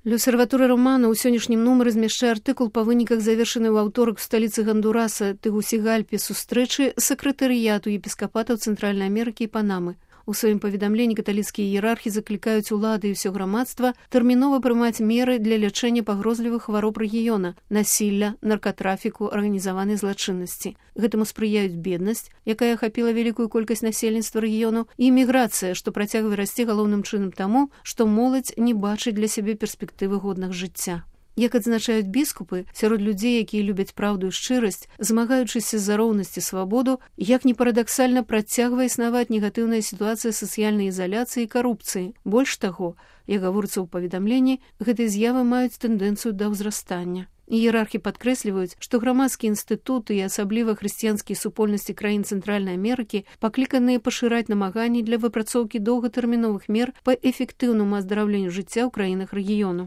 L'Observatori Romano ў сённяшнім нумары змяшчае артыкул па выніках завершанай у аўторак у сталіцы Гондураса Тегусігальпе сустрэчы сакратарыяту епіскапатаў Цэнтральнай Амерыкі і Панамы. У сваім паведамленні каталіцкія іерархі заклікаюць улады і ўсё грамадства тэрмінова прымаць меры для лячэння пагрозлівых хвароб рэгіёна, насілля, наркатрафіку, арганізаванай злачыннасці. Гэтаму спрыяюць беднасць, якая ахапіла вялікую колькасць насельніцтва рэгіёну, і іміграцыя, што працягвае расці галоўным чынам таму, што моладзь не бачыць для сябе перспектывы годнага жыцця. Як адзначаюць біскупы, сярод людзей, якія любяць праўду і шчырасць, змагаючыся за роўнасць і свабоду, як ні парадаксальна працягвае існаваць негатыўная сітуацыя сацыяльнай ізаляцыі і карупцыі. Больш таго, як гаворыцца ў паведамленні, гэтыя з'явы маюць тэндэнцыю да ўзрастання. Іерархі падкрэсліваюць, што грамадскія інстытуты і асабліва хрысціянскія супольнасці краін Цэнтральнай Амерыкі пакліканыя пашыраць намаганні для выпрацоўкі доўгатэрміновых мер па эфектыўнаму аздараўленню жыцця ў краінах рэгіёну.